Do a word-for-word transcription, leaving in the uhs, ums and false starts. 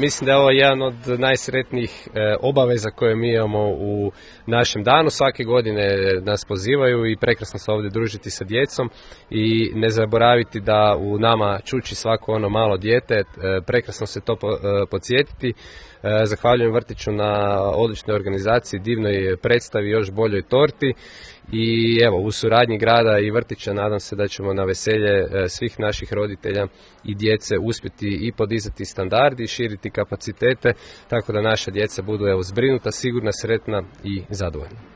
mislim da je ovo jedan od najsretnijih e, obaveza koje mi imamo u našem danu. Svake godine nas pozivaju i prekrasno se ovdje družiti sa djecom i ne zaboraviti da u nama čuči svako ono malo dijete, e, prekrasno se to po, e, podsjetiti. E, zahvaljujem vrtiću na odličnoj organizaciji, divnoj predstavi, još boljoj torti i evo, u suradnji grada i vrtića nadam se da ćemo na veselje e, svih naših roditelja i djece uspjeti i podizati standardi, širiti kapacitete, tako da naša djeca budu evo, zbrinuta, sigurna, sretna i zadovoljna.